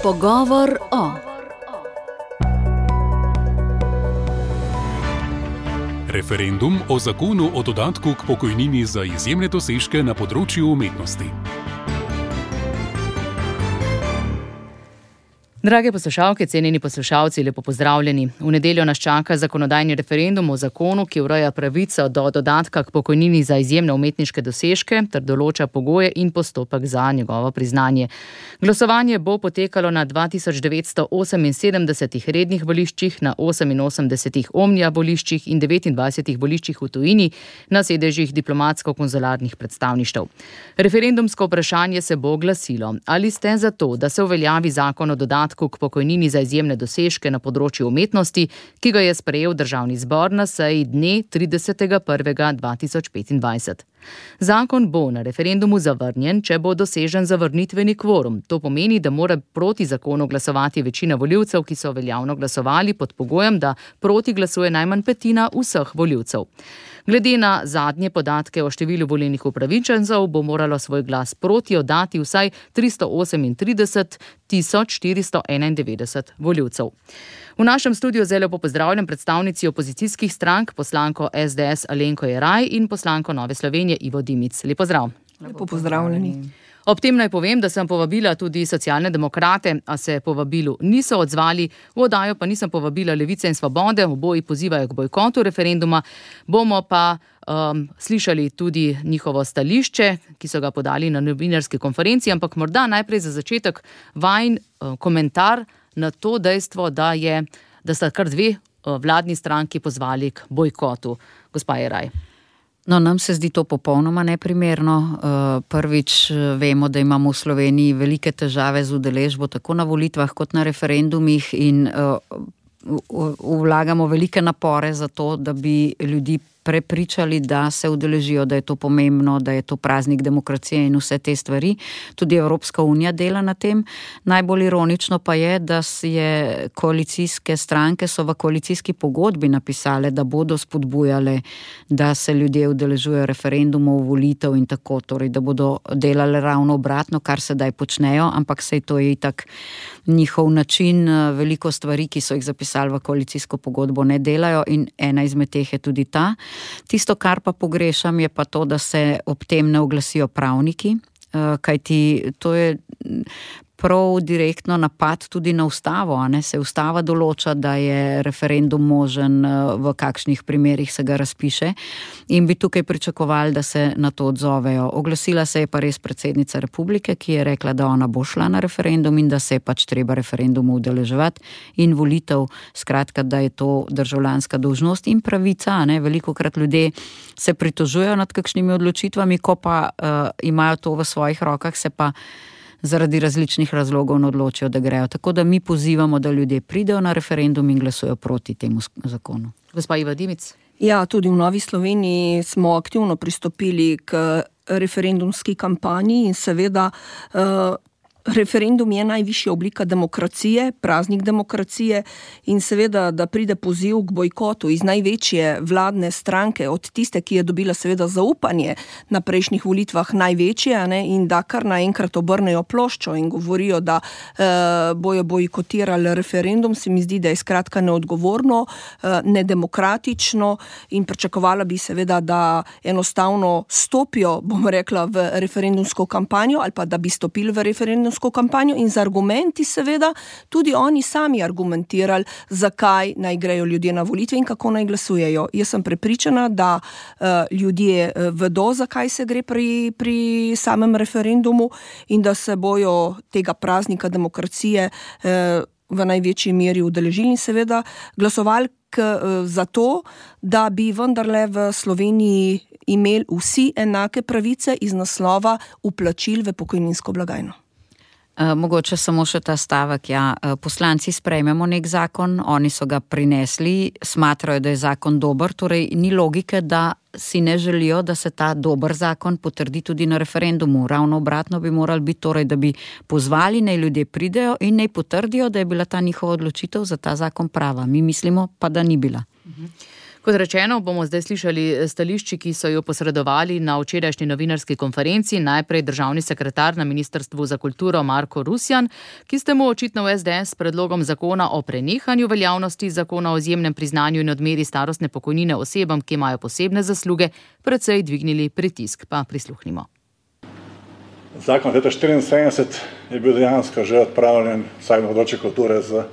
Pogovor o. Referendum o zakonu o dodatku k pokojnini za izjemne dosežke na področju umetnosti. Drage poslušalke, cenjeni poslušalci, lepo pozdravljeni. V nedeljo nas čaka zakonodajni referendum o zakonu, ki ureja pravico do dodatka k pokojnini za izjemne umetniške dosežke ter določa pogoje in postopek za njegovo priznanje. Glasovanje bo potekalo na 2978 rednih voliščih, na 88 omnija voliščih in 29 voliščih v tujini na sedežih diplomatsko-konzularnih predstavništev. Referendumsko vprašanje se bo glasilo: ali ste za to, da se uveljavi zakon o dodatku k pokojnini za izjemne dosežke na področju umetnosti, ki ga je sprejel Državni zbor na seji dne 30.1.2025. Zakon bo na referendumu zavrnjen, če bo dosežen zavrnitveni kvorum. To pomeni, da mora proti zakonu glasovati večina volivcev, ki so veljavno glasovali, pod pogojem, da proti glasuje najmanj petina vseh volivcev. Glede na zadnje podatke o številu volilnih upravičencev bo moralo svoj glas proti oddati vsaj 338.491 volivcev. V našem studiu zelo lepo pozdravljam predstavnici opozicijskih strank, poslanko SDS Alenko Jeraj in poslanko Nove Slovenije Ivo Dimic. Lep pozdrav. Lepo pozdravljeni. Ob tem naj povem, da sem povabila tudi socialne demokrate, a se povabilu niso odzvali. V oddajo pa nisem povabila Levice in Svobode, oboji pozivajo k bojkotu referenduma. Bomo pa slišali tudi njihovo stališče, ki so ga podali na novinarski konferenci, ampak morda najprej za začetek vajin komentar na to dejstvo, da sta kar dve vladni stranki pozvali k bojkotu. Gospa Jeraj. No, nam se zdi to popolnoma neprimerno. Prvič vemo, da imamo v Sloveniji velike težave z udeležbo tako na volitvah kot na referendumih in vlagamo velike napore za to, da bi ljudi prepričali, da se udeležijo, da je to pomembno, da je to praznik demokracije in vse te stvari. Tudi Evropska unija dela na tem. Najbolj ironično pa je, da je koalicijske stranke so v koalicijski pogodbi napisale, da bodo spodbujale, da se ljudje udeležujejo referendumov, volitev in tako, torej, da bodo delali ravno obratno, kar sedaj počnejo, ampak sej to je itak njihov način. Veliko stvari, ki so jih zapisali v koalicijsko pogodbo, ne delajo in ena izmed teh je tudi ta. Tisto, kar pa pogrešam, je pa to, da se ob tem ne oglasijo pravniki, kajti to je prav direktno napad tudi na ustavo, a ne? Se ustava določa, da je referendum možen, v kakšnih primerih se ga razpiše in bi tukaj pričakovali, da se na to odzovejo. Oglasila se je pa res predsednica republike, ki je rekla, da ona bo šla na referendum in da se je pač treba referendumu udeleževati in volitev, skratka, da je to državljanska dolžnost in pravica, a ne? Velikokrat ljudje se pritožujejo nad kakšnimi odločitvami, ko pa imajo to v svojih rokah, se pa zaradi različnih razlogov ne odločijo, da grejo. Tako da mi pozivamo, da ljudje pridejo na referendum in glasujejo proti temu zakonu. Gospa Iva Dimic. Ja, tudi v Novi Sloveniji smo aktivno pristopili k referendumski kampanji in seveda referendum je najvišja oblika demokracije, praznik demokracije in seveda, da pride poziv k bojkotu iz največje vladne stranke, od tiste, ki je dobila seveda zaupanje na prejšnjih volitvah največje, ne, in da kar naenkrat obrnejo ploščo in govorijo, da bojo bojkotirali referendum, se mi zdi, da je skratka neodgovorno, nedemokratično in pričakovala bi seveda, da enostavno stopijo, bom rekla, v referendumsko kampanjo ali pa da bi stopili v referendumsko kampanjo in z argumenti seveda tudi oni sami argumentirali, zakaj naj grejo ljudje na volitve in kako naj glasujejo. Jaz sem prepričana, da ljudje vedo, zakaj se gre pri samem referendumu in da se bojo tega praznika demokracije v največji meri udeležili in seveda glasovali za to, da bi vendarle v Sloveniji imeli vsi enake pravice iz naslova vplačil v pokojninsko blagajno. Mogoče samo še ta stavek, ja. Poslanci sprejmemo nek zakon, oni so ga prinesli, smatrajo, da je zakon dober, torej ni logike, da si ne želijo, da se ta dober zakon potrdi tudi na referendumu. Ravno obratno bi morali biti, torej, da bi pozvali, naj ljudje pridejo in naj potrdijo, da je bila ta njihova odločitev za ta zakon prava. Mi mislimo pa, da ni bila. Kot rečeno, bomo zdaj slišali stališči, ki so jo posredovali na včerajšnji novinarski konferenci. Najprej državni sekretar na Ministrstvu za kulturo Marko Rusjan, ki ste mu očitno v SDS s predlogom zakona o prenehanju veljavnosti zakona o izjemnem priznanju in odmeri starostne pokojnine osebam, ki imajo posebne zasluge, precej dvignili pritisk. Pa prisluhnimo. Zakon leta 1974 je bil dejansko že odpravljen vsaj na področju kulture z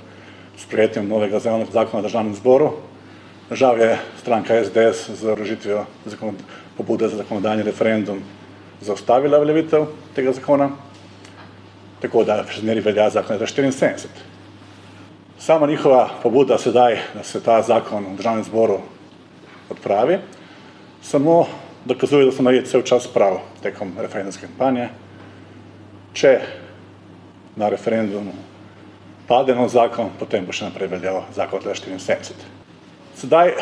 sprejetjem novega zakona o državnem zboru. Žal je stranka SDS z vložitvijo pobude za zakonodajni referendum zaustavila veljavitev tega zakona, tako da še zmeraj velja zakon leta 1974. Sama njihova pobuda sedaj, da se ta zakon v državnem zboru odpravi, samo dokazuje, da so naredili cel čas prav tekom referendumske kampanje. Če na referendumu pade nov zakon, potem bo še naprej veljal zakon leta 1974. Sedaj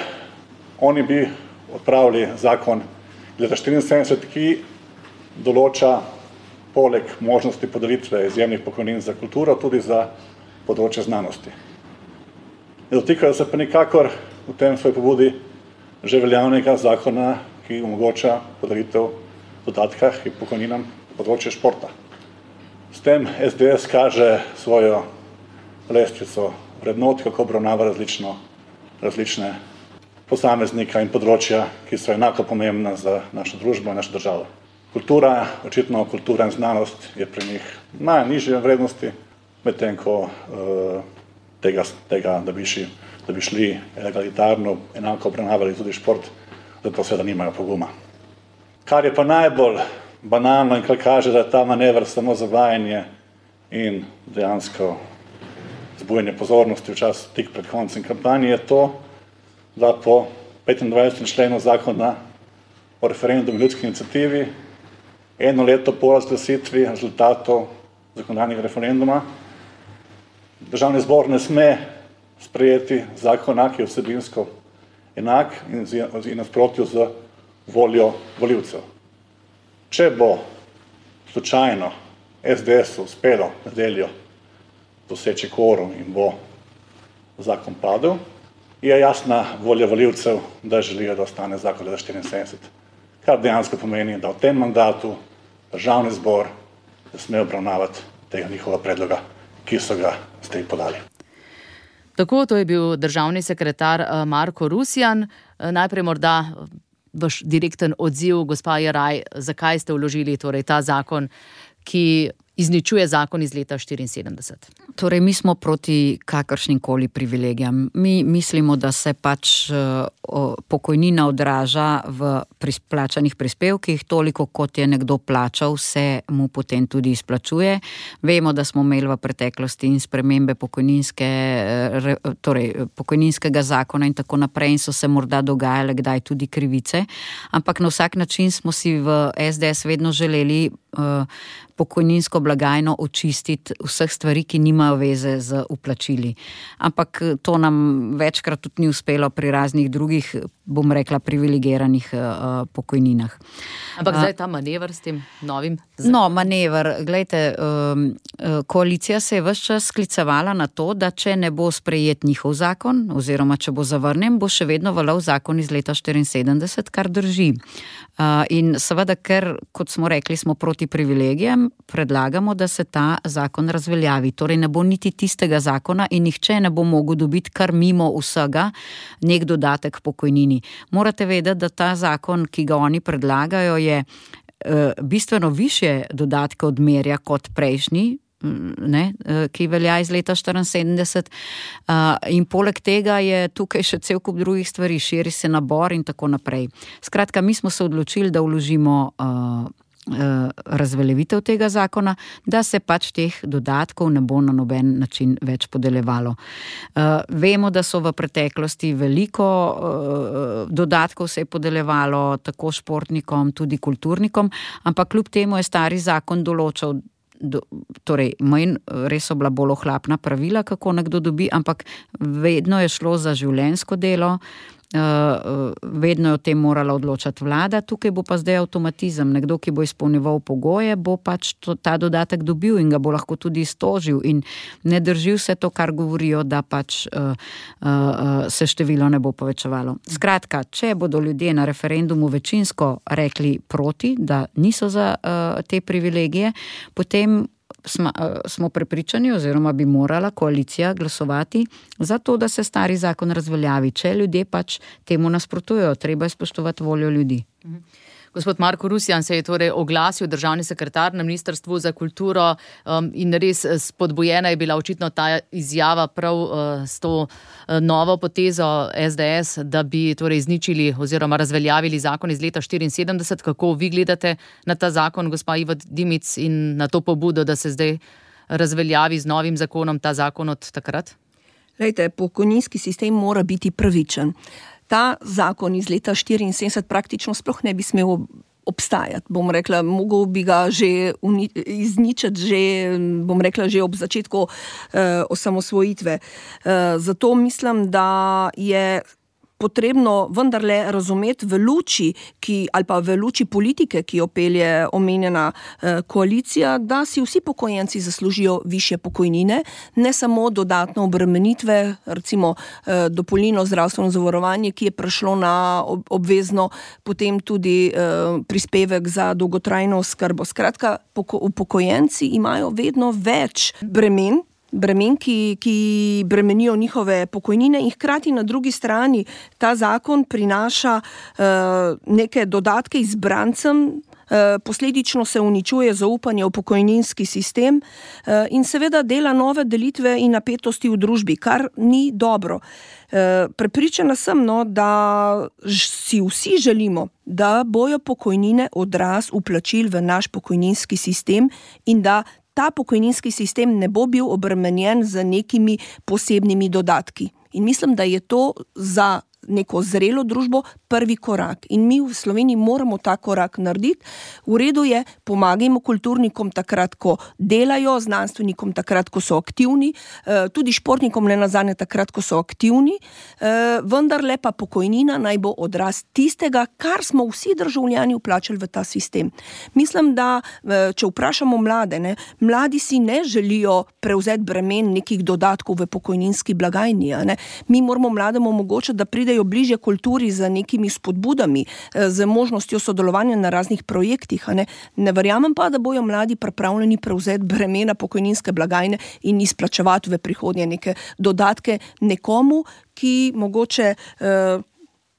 oni bi odpravili zakon leta 1974, ki določa poleg možnosti podelitve izjemnih pokojnin za kulturo tudi za področje znanosti. Ne dotikajo se pa nikakor v tem svoji pobudi že veljavnega zakona, ki omogoča podelitev dodatka in pokojninam na področje športa. S tem SDS kaže svojo lestvico vrednot, kako obravnava različne posameznika in področja, ki so enako pomembna za našo družbo in našo državo. Kultura, očitno kultura in znanost je pri njih najnižje vrednosti, medtem ko tega, da bi šli egalitarno, enako obravnavali tudi šport, zato seveda nimajo poguma. Kar je pa najbolj banalno in kar kaže, da je ta manever samo zavajanje in dejansko zbujanje pozornosti v čas tik pred koncem kampanje, je to, da po 25. členu zakona o referendumu in ljudski iniciativi 1 leto po razglasitvi rezultatov zakonodajnega referenduma državni zbor ne sme sprejeti zakona, ki je vsebinsko enak in nasprotju z voljo volivcev. Če bo slučajno SDS-u uspelo nedeljo doseči kvorum in bo zakon padel, je jasna volja volivcev, da želijo, da ostane zakon leta 1974. Kar dejansko pomeni, da v tem mandatu državni zbor ne sme obravnavati tega njihova predloga, ki so ga zdaj podali. Tako, to je bil državni sekretar Marko Rusjan. Najprej morda vaš direkten odziv, gospa Jeraj, zakaj ste vložili torej ta zakon, ki izničuje zakon iz leta 1974. Torej, mi smo proti kakršnikoli privilegijam. Mi mislimo, da se pač pokojnina odraža v plačanih prispevkih, toliko kot je nekdo plačal, se mu potem tudi izplačuje. Vemo, da smo imeli v preteklosti in spremembe pokojninskega zakona in tako naprej in so se morda dogajale kdaj tudi krivice, ampak na vsak način smo si v SDS vedno želeli pokojninsko blagajno očistiti vseh stvari, ki nimajo veze z vplačili. Ampak to nam večkrat tudi ni uspelo pri raznih drugih, bom rekla, privilegiranih pokojninah. Ampak zdaj ta manever s tem novim? No, manever. Glejte, koalicija se je ves čas sklicevala na to, da če ne bo sprejet njihov zakon, oziroma če bo zavrnjen, bo še vedno veljal zakon iz leta 1974, kar drži. In seveda, ker, kot smo rekli, smo proti privilegijem, predlagamo, da se ta zakon razveljavi. Torej ne bo niti tistega zakona in nihče ne bo mogel dobiti kar mimo vsega nek dodatek pokojnini. Morate vedeti, da ta zakon, ki ga oni predlagajo, je bistveno višje dodatke odmerja kot prejšnji, ki velja iz leta 1974. In poleg tega je tukaj še cel kup drugih stvari, širi se nabor in tako naprej. Skratka, mi smo se odločili, da vložimo razveljavitev tega zakona, da se pač teh dodatkov ne bo na noben način več podeljevalo. Vemo, da so v preteklosti veliko dodatkov se je podeljevalo tako športnikom, tudi kulturnikom, ampak kljub temu je stari zakon določal, torej res so bila bolj ohlapna pravila, kako nekdo dobi, ampak vedno je šlo za življenjsko delo, vedno je o tem morala odločati vlada, tukaj bo pa zdaj avtomatizem. Nekdo, ki bo izpolnjeval pogoje, bo pač ta dodatek dobil in ga bo lahko tudi iztožil in ne drži vse to, kar govorijo, da pač se število ne bo povečevalo. Skratka, če bodo ljudje na referendumu večinsko rekli proti, da niso za te privilegije, potem smo prepričani oziroma bi morala koalicija glasovati za to, da se stari zakon razveljavi. Če ljudje pač temu nasprotujejo, treba je spoštovati voljo ljudi. Gospod Marko Rusjan se je torej oglasil, državni sekretar na Ministrstvu za kulturo, in res spodbujena je bila očitno ta izjava prav s to novo potezo SDS, da bi torej izničili oziroma razveljavili zakon iz leta 1974. Kako vi gledate na ta zakon, gospa Iva Dimic, in na to pobudo, da se zdaj razveljavi z novim zakonom ta zakon od takrat? Glejte, pokojninski sistem mora biti pravičen. Ta zakon iz leta 1974 praktično sploh ne bi smel obstajati. Bom rekla, mogel bi ga že izničiti, že ob začetku osamosvojitve. Zato mislim, da je potrebno vendarle razumeti v luči politike, ki jo pelje omenjena koalicija, da si vsi pokojenci zaslužijo višje pokojnine, ne samo dodatno obremenitve, recimo dopolnilno zdravstveno zavarovanje, ki je prešlo na obvezno, potem tudi prispevek za dolgotrajno oskrbo. Skratka, upokojenci imajo vedno več bremen, ki bremenijo njihove pokojnine, in hkrati na drugi strani ta zakon prinaša neke dodatke izbrancem, posledično se uničuje zaupanje v pokojninski sistem in seveda dela nove delitve in napetosti v družbi, kar ni dobro. Prepričana sem, da si vsi želimo, da bojo pokojnine odraz vplačil v naš pokojninski sistem in da ta pokojninski sistem ne bo bil obremenjen z nekimi posebnimi dodatki. In mislim, da je to za neko zrelo družbo prvi korak. In mi v Sloveniji moramo ta korak narediti. V redu je, pomagajmo kulturnikom takrat, ko delajo, znanstvenikom takrat, ko so aktivni, tudi športnikom ne nazadnje takrat, ko so aktivni, vendarle pa pokojnina naj bo odraz tistega, kar smo vsi državljani vplačali v ta sistem. Mislim, da če vprašamo mlade, mladi si ne želijo prevzeti bremen nekih dodatkov v pokojninski blagajni. Mi moramo mlademu omogočiti, da pridejo bližje kulturi z nekimi spodbudami, z možnostjo sodelovanja na raznih projektih. Ne verjamem pa, da bojo mladi pripravljeni prevzeti bremena pokojninske blagajne in izplačevati v prihodnje neke dodatke nekomu, ki mogoče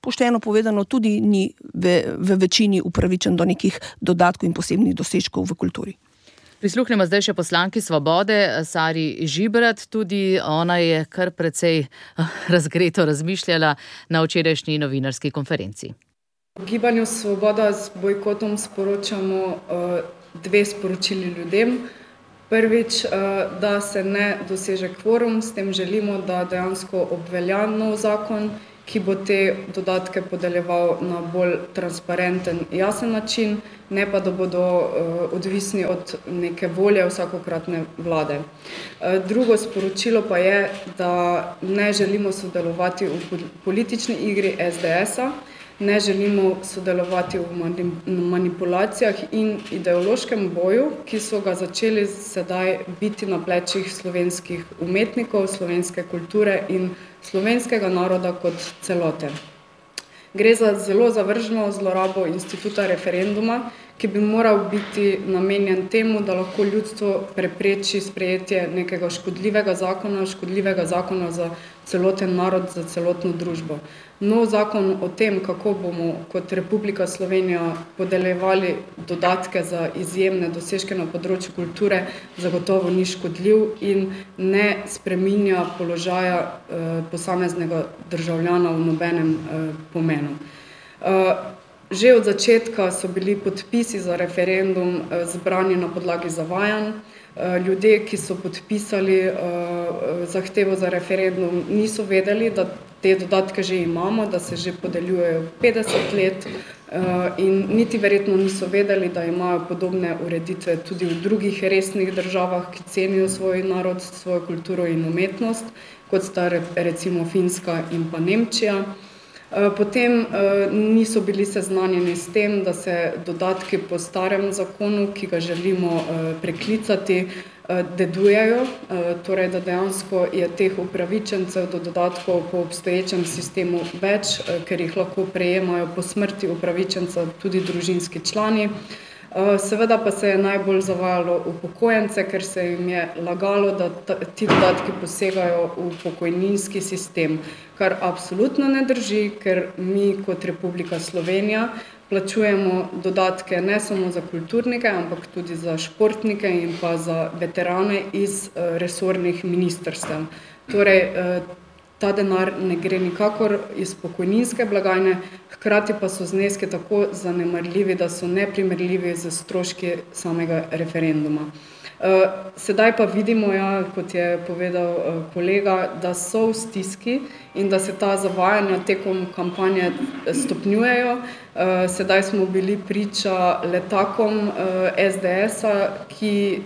pošteno povedano tudi ni v večini upravičen do nekih dodatkov in posebnih dosežkov v kulturi. Prisluhnemo zdaj še poslanki Svobode, Sari Žibrat. Tudi ona je kar precej razgreto razmišljala na včerajšnji novinarski konferenci. V Gibanju Svoboda z bojkotom sporočamo dve sporočili ljudem. Prvič, da se ne doseže kvorum, s tem želimo, da dejansko obvelja nov zakon, ki bo te dodatke podeljeval na bolj transparenten, jasen način, ne pa da bodo odvisni od neke volje vsakokratne vlade. Drugo sporočilo pa je, da ne želimo sodelovati v politični igri SDS-a, ne želimo sodelovati v manipulacijah in ideološkem boju, ki so ga začeli sedaj biti na plečih slovenskih umetnikov, slovenske kulture in slovenskega naroda kot celote. Gre za zelo zavrženo zlorabo instituta referenduma, ki bi moral biti namenjen temu, da lahko ljudstvo prepreči sprejetje nekega škodljivega zakona za celoten narod, za celotno družbo. Nov zakon o tem, kako bomo kot Republika Slovenija podeljevali dodatke za izjemne dosežke na področju kulture, zagotovo ni škodljiv in ne spreminja položaja posameznega državljana v nobenem pomenu. Že od začetka so bili podpisi za referendum zbrani na podlagi zavajanj. Ljudje, ki so podpisali zahtevo za referendum, niso vedeli, da te dodatke že imamo, da se že podeljujejo 50 let in niti verjetno niso vedeli, da imajo podobne ureditve tudi v drugih resnih državah, ki cenijo svoj narod, svojo kulturo in umetnost, kot sta recimo Finska in pa Nemčija. Potem niso bili seznanjeni s tem, da se dodatki po starem zakonu, ki ga želimo preklicati, dedujejo, torej da dejansko je teh upravičencev do dodatkov po obstoječem sistemu več, ker jih lahko prejemajo po smrti upravičenca tudi družinski člani. Seveda pa se je najbolj zavajalo upokojence, ker se jim je lagalo, da ti dodatki posegajo v pokojninski sistem, kar absolutno ne drži, ker mi kot Republika Slovenija plačujemo dodatke ne samo za kulturnike, ampak tudi za športnike in pa za veterane iz resornih ministrstev. Torej, ta denar ne gre nikakor iz pokojninske blagajne, hkrati pa so zneski tako zanemarljivi, da so neprimerljivi z stroški samega referenduma. Sedaj pa vidimo, kot je povedal kolega, da so v stiski in da se ta zavajanja tekom kampanje stopnjujejo. Sedaj smo bili priča letakom SDS-a, ki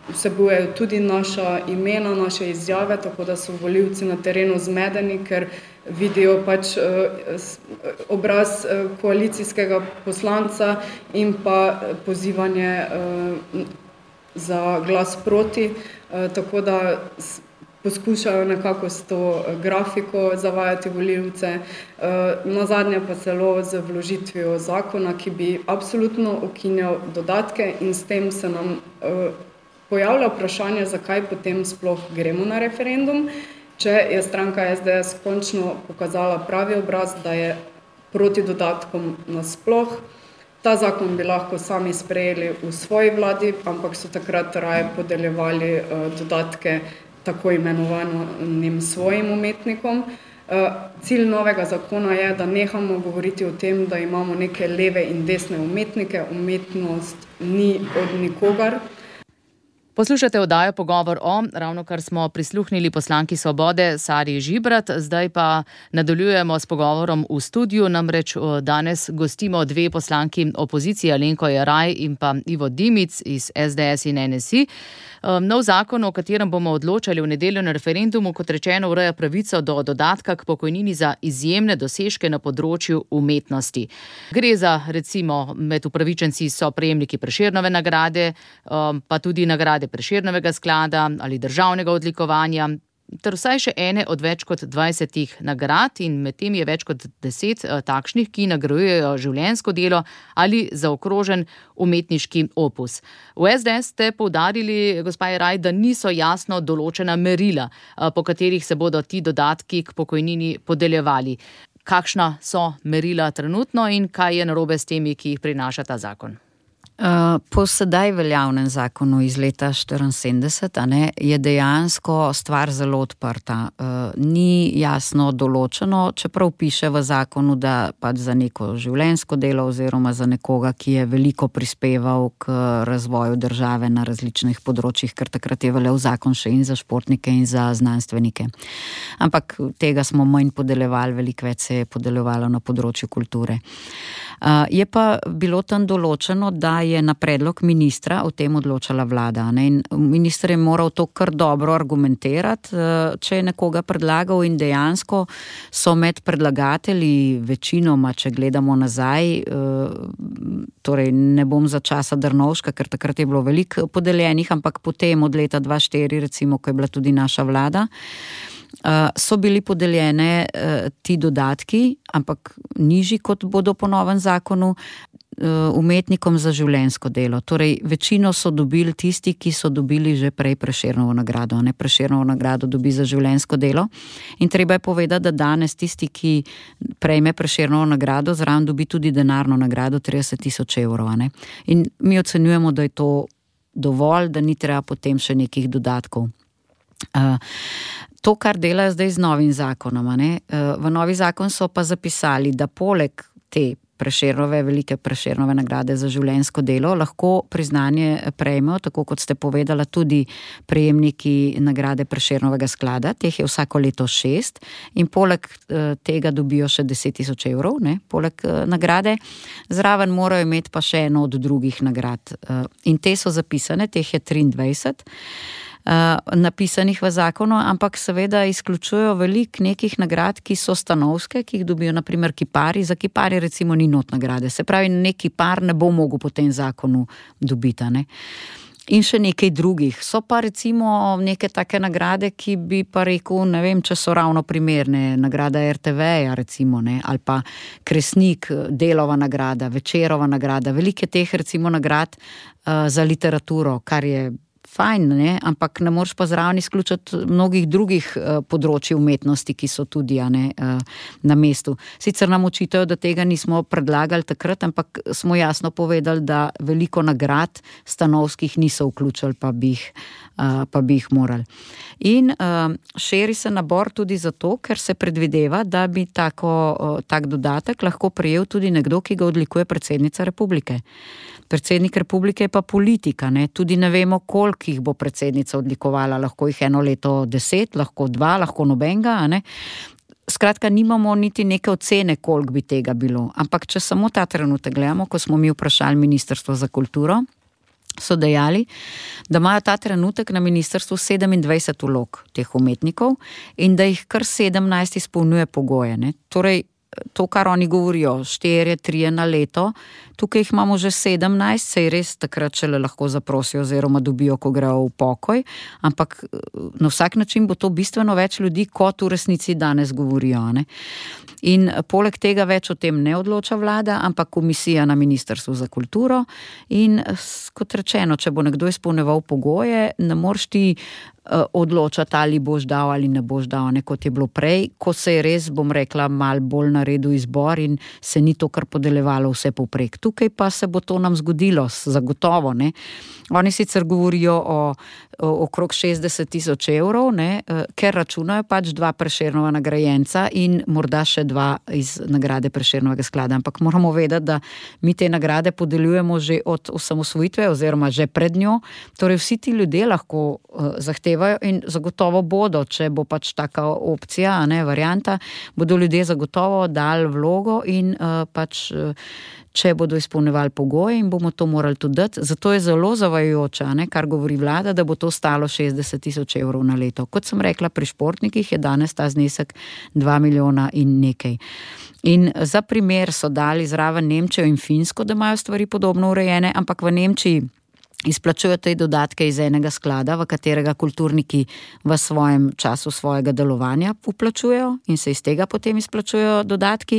vsebujejo tudi naša imena, naše izjave, tako da so volivci na terenu zmedeni, ker vidijo pač obraz koalicijskega poslanca in pa pozivanje za glas proti, tako da poskušajo nekako s to grafiko zavajati volivce. Nazadnje pa celo z vložitvijo zakona, ki bi absolutno ukinjal dodatke in s tem se nam pojavlja vprašanje, zakaj potem sploh gremo na referendum, če je stranka SDS končno pokazala pravi obraz, da je proti dodatkom nasploh. Ta zakon bi lahko sami sprejeli v svoji vladi, ampak so takrat raje podeljevali dodatke tako imenovanim svojim umetnikom. Cilj novega zakona je, da nehamo govoriti o tem, da imamo neke leve in desne umetnike. Umetnost ni od nikogar. Poslušate oddajo Pogovor o, ravnokar smo prisluhnili poslanki Svobode Sari Žibrat, zdaj pa nadaljujemo s pogovorom v studiu, namreč danes gostimo dve poslanki opozicije, Alenko Jeraj in pa Ivo Dimic iz SDS in NSI. Nov zakon, o katerem bomo odločali v nedeljo na referendumu, kot rečeno, ureja pravico do dodatka k pokojnini za izjemne dosežke na področju umetnosti. Gre za, recimo, med upravičenci so prejemniki Prešernove nagrade, pa tudi nagrade Prešernovega sklada ali državnega odlikovanja, ter vsaj še ene od več kot 20 nagrad in med tem je več kot 10 takšnih, ki nagrajujejo življenjsko delo ali zaokrožen umetniški opus. V SDS ste poudarili, gospa Jeraj, da niso jasno določena merila, po katerih se bodo ti dodatki k pokojnini podeljevali. Kakšna so merila trenutno in kaj je narobe s temi, ki jih prinaša ta zakon? Po sedaj veljavnem zakonu iz leta 1974 je dejansko stvar zelo odprta. Ni jasno določeno, čeprav piše v zakonu, da pač za neko življenjsko delo oziroma za nekoga, ki je veliko prispeval k razvoju države na različnih področjih, ker takrat je veljal zakon še in za športnike in za znanstvenike. Ampak tega smo manj podeljevali, veliko več se je podeljevalo na področju kulture. Je pa bilo tam določeno, da je na predlog ministra o tem odločala vlada. In minister je moral to kar dobro argumentirati, če je nekoga predlagal in dejansko so med predlagatelji večinoma, če gledamo nazaj, torej ne bom za časa Drnovška, ker takrat je bilo veliko podeljenih, ampak potem od leta 2004, recimo, ko je bila tudi naša vlada, so bili podeljene ti dodatki, ampak nižji kot bodo po novem zakonu, umetnikom za življenjsko delo. Torej, večino so dobili tisti, ki so dobili že prej Prešernovo nagrado. Prešernovo nagrado dobi za življenjsko delo. In treba je povedati, da danes tisti, ki prejme Prešernovo nagrado, zraven dobi tudi denarno nagrado 30.000 evrov. In mi ocenjujemo, da je to dovolj, da ni treba potem še nekih dodatkov. To, kar delajo zdaj z novim zakonom, v novi zakon so pa zapisali, da poleg te velike Prešernove nagrade za življenjsko delo lahko priznanje prejmejo, tako kot ste povedala, tudi prejemniki nagrade Prešernovega sklada, teh je vsako leto 6 in poleg tega dobijo še 10.000 evrov, poleg nagrade. Zraven morajo imeti pa še eno od drugih nagrad. In te so zapisane, teh je 23. napisanih v zakonu, ampak seveda izključujejo veliko nekih nagrad, ki so stanovske, ki jih dobijo naprimer kiparji. Za kiparje recimo ni not nagrade. Se pravi, nek kipar ne bo mogel po tem zakonu dobiti, ne. In še nekaj drugih. So pa recimo neke take nagrade, ki bi pa rekel, ne vem, če so ravno primerne. Nagrada RTV-ja recimo, ne, ali pa Kresnik, Delova nagrada, Večerova nagrada. Velike teh recimo nagrad za literaturo, kar je fajn, ne, ampak ne moreš pa zraven izključiti mnogih drugih področij umetnosti, ki so tudi na mestu. Sicer nam očitajo, da tega nismo predlagali takrat, ampak smo jasno povedali, da veliko nagrad stanovskih niso vključili, pa bi jih morali. In širi se nabor tudi zato, ker se predvideva, da bi tak dodatek lahko prejel tudi nekdo, ki ga odlikuje predsednica republike. Predsednik republike je pa politika, ne? Tudi ne vemo, koliko jih bo predsednica odlikovala, lahko jih 1 leto 10, lahko 2, lahko nobenega, ne? Skratka, nimamo niti neke ocene, koliko bi tega bilo. Ampak če samo ta trenutek gledamo, ko smo mi vprašali Ministrstvo za kulturo, so dejali, da imajo ta trenutek na ministrstvu 27 vlog teh umetnikov in da jih kar 17 izpolnjuje pogoje, ne? Torej, to, kar oni govorijo, 4, 3 na leto, tukaj jih imamo že 17, sej res takrat šele lahko zaprosijo oziroma dobijo, ko grejo v pokoj, ampak na vsak način bo to bistveno več ljudi, kot v resnici danes govorijo, ne? In poleg tega več o tem ne odloča vlada, ampak komisija na Ministrstvu za kulturo in kot rečeno, če bo nekdo izpolnjeval pogoje, ne moreš ti odločati, ali boš dal ali ne boš dal, ne, kot je bilo prej, ko se je res, bom rekla, mal bolj naredil izbor in se ni to kar podeljevalo vse povprek. Tukaj pa se bo to nam zgodilo, zagotovo, ne. Oni sicer govorijo o okrog 60,000 evrov, ne, ker računajo pač 2 Prešernova nagrajenca in morda še 2 iz nagrade Prešernovega sklada, ampak moramo vedeti, da mi te nagrade podeljujemo že od osamosvojitve oziroma že pred njo, torej vsi ti ljudje lahko zahtevajo in zagotovo bodo, če bo pač taka opcija, ne, varianta, bodo ljudje zagotovo dali vlogo in pač če bodo izpolnjevali pogoje in bomo to morali tudi dati. Zato je zelo zavajajoče, ne, kar govori vlada, da bo to stalo 60,000 evrov na leto. Kot sem rekla, pri športnikih je danes ta znesek 2 milijona in nekaj. In za primer so dali zraven Nemčijo in Finsko, da imajo stvari podobno urejene, ampak v Nemčiji izplačujejo te dodatke iz enega sklada, v katerega kulturniki v svojem času svojega delovanja vplačujejo in se iz tega potem izplačujejo dodatki.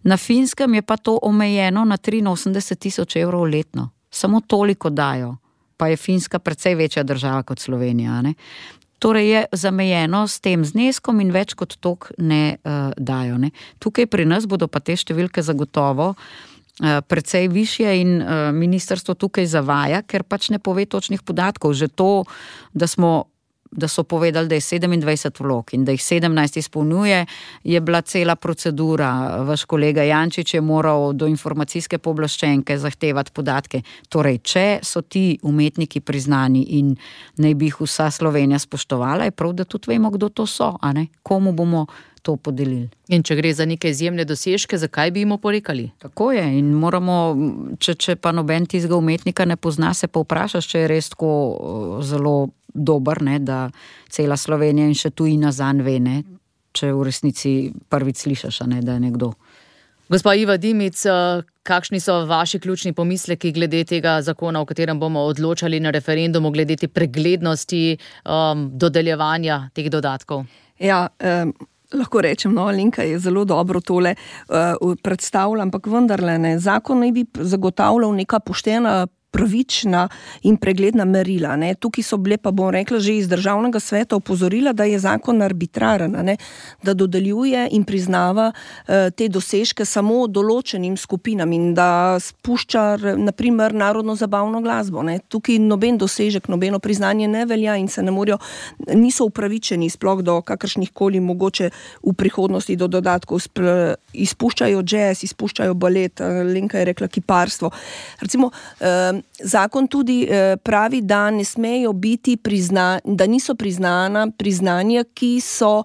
Na Finskem je pa to omejeno na 83,000 evrov letno. Samo toliko dajo, pa je Finska precej večja država kot Slovenija, ne? Torej je zamejeno s tem zneskom in več kot toliko ne dajo, ne? Tukaj pri nas bodo pa te številke zagotovo precej višje in ministrstvo tukaj zavaja, ker pač ne pove točnih podatkov. Že to, da so povedali, da je 27 vlog in da jih 17 izpolnjuje, je bila cela procedura. Vaš kolega Jančič je moral do informacijske pooblaščenke zahtevati podatke. Torej, če so ti umetniki priznani in naj bi jih vsa Slovenija spoštovala, je prav, da tudi vemo, kdo to so, a ne? Komu bomo to podelili. In če gre za neke izjemne dosežke, zakaj bi jim oporekali? Tako je in moramo, če pa noben tistega umetnika ne pozna, se pa vprašaš, če je res tako zelo dober, ne, da cela Slovenija in še tujina zanj ve, ne, če v resnici prvič slišaš, a ne, da je nekdo. Gospa Iva Dimic, kakšni so vaši ključni pomisleki glede tega zakona, o katerem bomo odločali na referendumu, glede te preglednosti dodeljevanja teh dodatkov? Ja, lahko rečem, no, Alenka je zelo dobro tole predstavila, ampak vendarle ne, zakon naj bi zagotavljal neka poštena, pravična in pregledna merila, ne. Tukaj so bile, pa bom rekla, že iz državnega sveta opozorila, da je zakon arbitraren, ne, da dodeljuje in priznava te dosežke samo določenim skupinam in da spušča, naprimer, narodno zabavno glasbo, ne. Tukaj noben dosežek, nobeno priznanje ne velja in se ne morajo, niso upravičeni sploh do kakršnihkoli mogoče v prihodnosti do dodatkov, izpuščajo jazz, izpuščajo balet, Lenka je rekla kiparstvo. Recimo, zakon tudi pravi, da ne smejo biti da niso priznanja, ki so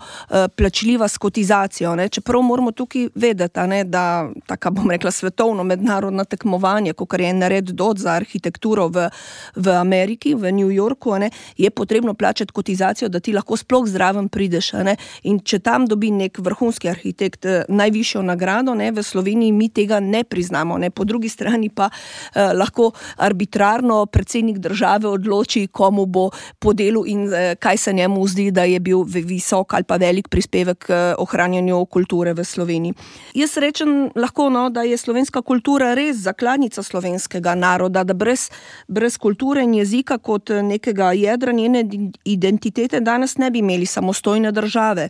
plačljiva s kotizacijo. Ne? Čeprav moramo tukaj vedeti, ne, da taka, bom rekla, svetovno mednarodna tekmovanja, kakor je nared DOT za arhitekturo v Ameriki, v New Yorku, ne, je potrebno plačati kotizacijo, da ti lahko sploh zraven prideš. Ne? In če tam dobi nek vrhunski arhitekt najvišjo nagrado, ne, v Sloveniji mi tega ne priznamo. Ne? Po drugi strani pa lahko arbitrarno predsednik države odloči, komu bo podelil in kaj se njemu zdi, da je bil visok ali pa velik prispevek k ohranjanju kulture v Sloveniji. Jaz rečem lahko, no, da je slovenska kultura res zakladnica slovenskega naroda, da brez kulture in jezika kot nekega jedra njene identitete danes ne bi imeli samostojne države